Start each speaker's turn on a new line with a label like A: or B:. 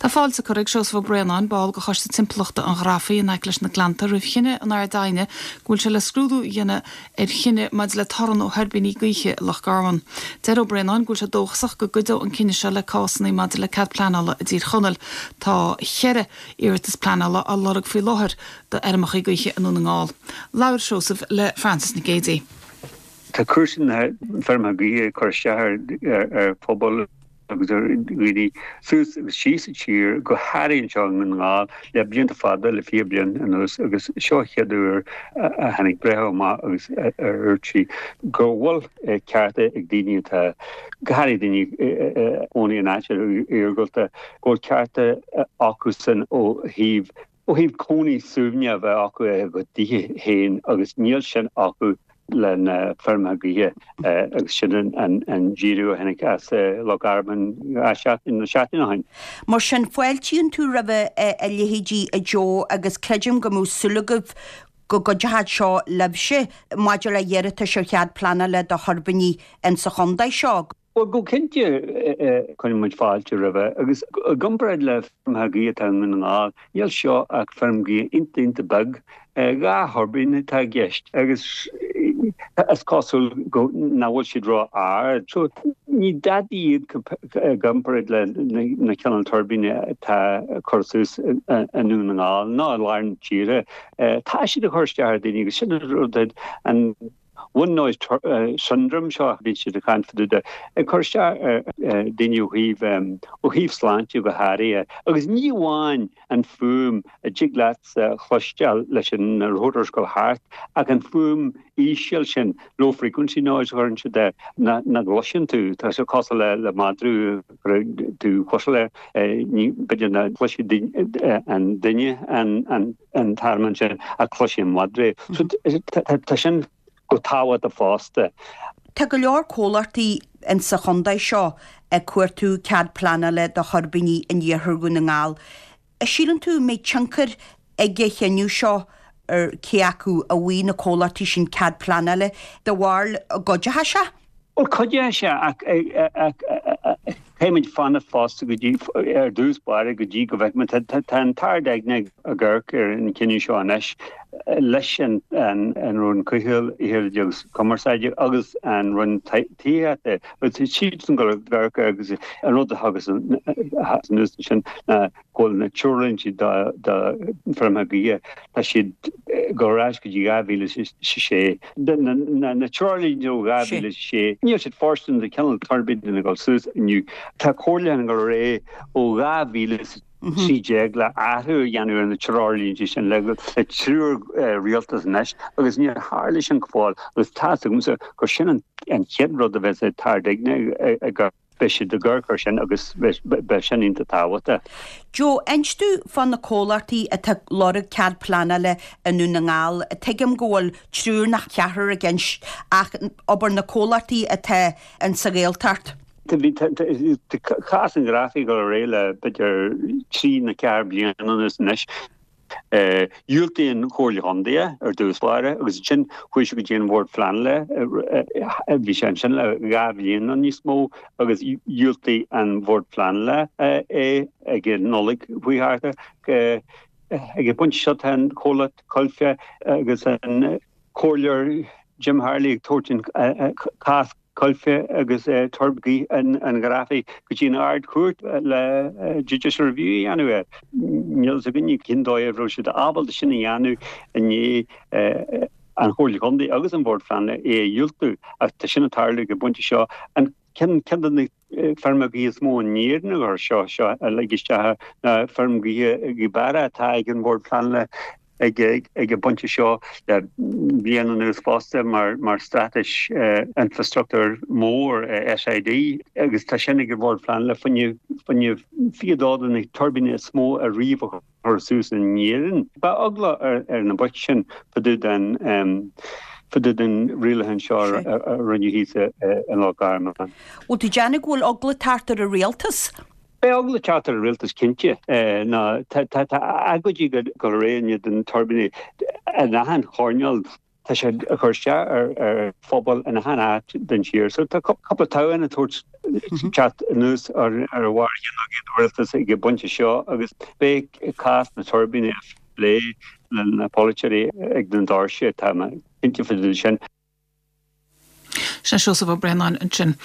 A: Tá fáilte curtha ag Seosamh Ó Braonáin, ball de Choiste Timpeallachta an Ghrafaidh in aice leis na Gleannta, roimh chinneadh an Ard-Aighne go bhfuil sé le scrúdú a dhéanamh ar chinneadh maidir le torann ó thuirbíní gaoithe i Loch Garman. Deir Ó Braonáin go bhfuil sé dóchasach go gcuideoidh an cinneadh seo le cásanna maidir le cead pleanála i dTír Chonaill. Tá cheithre iarratas pleanála á lorg faoi láthair do fheirmeacha gaoithe i nDún na nGall. Labhair Seosamh le Frances Nic Géadaigh.
B: Tá cúrsaí na bhfeirmeacha gaoithe ag cur isteach ar phobal agus ar dhaoine suas agus síos sa tír, go háirithe anseo i nDún na nGall, le blianta fada, le 20 bliain anuas agus seo an chéad uair a tháinig breitheamh amach agus a dúirt sí go bhfuil cearta ag daoine atá, go háirithe daoine a chónaí in áit iargúlta, go bhfuil cearta acusan ó thaobh Ó thaobh cónaí suaimhneach a bheith acu i gcuid dtithe féin agus níl sin acu le na feirmeacha gaoithe agus sin an díriú a tháinig as Loch Garman seachtain nó seachtain ó shin.
C: Mar sin, fáiltíonn tú roimh a leithéidí a Joe agus creidim go mbeadh súil agaibh go gcuideoidh seo libhse maidir le hiarratais ar chead pleanála do thuirbíní insa chontae seo.
B: Bhuel, go cinnte, cuireann muid fáilte roimhe, agus i gcomparáid le feirmeacha gaoithe atá i nDún na nGall, níl seo ach feirm gaoithe iontach iontach beag. 2 thuirbín atá i gceist, agus is cosúil go nach bhfuil siad ró-ard. So, ní dadaí iad i gcomparáid le na cineál tuirbíní atá curtha suas i nDún na nGall ná i lár na tíre. Tá siad ag cur isteach ar dhaoine, agus sin an rud, an Wind noise syndrome seo a bhíonn siad ag caint fá dtaobh de, ag cur isteach ar daoine ó thaobh ó thaobh sláinte go háirithe. Agus ní amháin an fuaim a dtig leatsa a chloisteáil leis na rotors ag dul thart ach an fuaim íseal sin, low frequency noise a chuireann siad air, nach gcloiseann tú. Tá sé cosúil le le madra a chuireann tú fuisle air, ní b'fhéidir nach gcloisfidh an duine an an an t-armán sin ach cloisfidh an madra é. So tá sin go tábhachtach fosta.
C: Tá go leor comhlachtaí insa chontae seo ag cuartú cead pleanála do thuirbíní in iarthar Dhún na nGall. An síleann tú an mbeidh tionchar ag an chinneadh seo ar cé acu a bhfaighidh na comhlachtaí sin cead pleanála de bharr an gcuideoidh sé?
B: Bhuel, cuideoidh sé ach caithfimid fanacht fosta go dtí, ar dtús báire, go dtí go bhfeicfimid. Tá an tArd-Aighne ag amharc ar an chinneadh seo anois leis an Roinn Comhshaoil, Aeráide agus Cumarsáide agus an Roinn Tithíochta. Agus tá siadsan ag amharc air agus an rud a thagas anuas ansin ná go bhfuil na treoirlínte do feirmeacha gaoithe, tá siad ag dul ar ais go dtí 2006. Na treoirlínte ó 2006, níl siad fóirsteanach do chineál tuirbíní ag dul suas inniu. Tá comhairliúchán ag dul ar aghaidh ó 2013 le athrú a dhéanamh ar na treoirlínte sin le triúr rialtas anois agus níor tharla sin go fóill agus tá's agamsa gur sin an chéad rud a bheas an tArd-Aighne ag Beidh siad ag amharc air sin agus beidh sin iontach tábhachtach.
C: Joe, inis domh fá na comhlachtaí atá ag lorg cead pleanála i nDún na nGall. Tuigim go bhfuil triúr nó ceathrar i gceist ach abair na comhlachtaí atá in sa Ghaeltacht.
B: Tá cás an Ghrafaidh ag dul ar aghaidh le b'fhéidir trí nó ceathair bliana anuas anois. Dhiúltaigh an Chomhairle Chontae é ar dtús báire agus ansin chuaigh sé go dtí an Bhord Pleanála, bhí sé ansin le 2 bhliain nó níos mó agus dhiúltaigh an Bhord Pleanála é ag an Nollaig chuaigh thart. Ag an bpointe seo tá an comhlacht Coillte agus an Comhairleoir Jim Harley ag tabhairt an cás Coillte agus tuirbíní an Ghrafaidh go dtí an Ard-Chúirt le judicial review a dhéanamh air. Níl fhios againne cén dóigh a raibh siad ábalta sin a dhéanamh i ndiaidh an Chomhairle Chontae agus an Bhord Pleanála é a dhiúltú ach tá sin ag tarlú ag an bpointe seo. An ceann de na feirmeacha gaoithe is mó in Éirinn a chur seo seo a lig isteach ná feirm gaoithe Ghaoth Beara atá ag an Bhord Pleanála ag an bpointe seo le bliain anuas fosta mar straitéis infrastruchtúir mór SID agus tá sin ag an Bhord Pleanála fá choinne 22 de na tuirbíní is mó a riamh a chur suas in Éirinn. Beidh eagla ar na boicht sin fá dtaobh den fá dtaobh den rialachán seo a rinneadh thíos i Loch Garman.
C: Bhfuil tú ag déanamh go bhfuil eagla ag teacht ar an rialtas?
B: Beidh eagla ag teacht ar an rialtas cinnte. Ná tá agóidí ag dul ar aghaidh in éadan tuirbíní in achan choirneál. Tá sé ag cur isteach ar phobal in achan áit den tír. So tá cúpla toghchán ag tabhairt teacht anuas ar bharr a chinn ag an rialtas ag an bpointe seo agus beidh cás na tuirbíní á phlé le na polaiteoirí ag na doirse, tá mé cinnte faoi sin.
A: Sin Seosamh Ó Braonáin ansin.